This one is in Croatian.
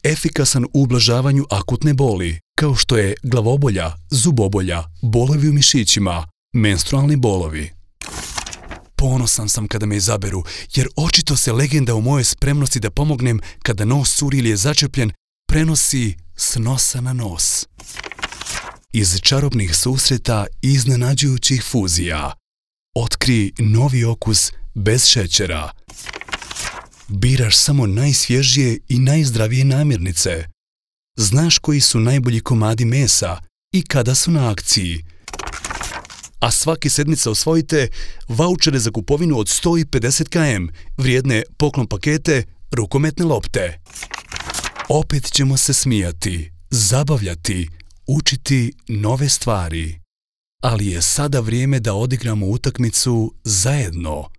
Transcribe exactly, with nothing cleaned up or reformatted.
efikasan u ublažavanju akutne boli, kao što je glavobolja, zubobolja, bolovi u mišićima, menstrualni bolovi. Ponosan sam kada me izaberu, jer očito se legenda o mojoj spremnosti da pomognem kada nos curi ili je začepljen prenosi s nosa na nos. Iz čarobnih susreta i iznenađujućih fuzija otkri novi okus bez šećera. Biraš samo najsvježije i najzdravije namirnice. Znaš koji su najbolji komadi mesa i kada su na akciji. A svake sedmice osvojite vaučere za kupovinu od sto pedeset kilograma, vrijedne poklon pakete, rukometne lopte. Opet ćemo se smijati, zabavljati, učiti nove stvari. Ali je sada vrijeme da odigramo utakmicu zajedno.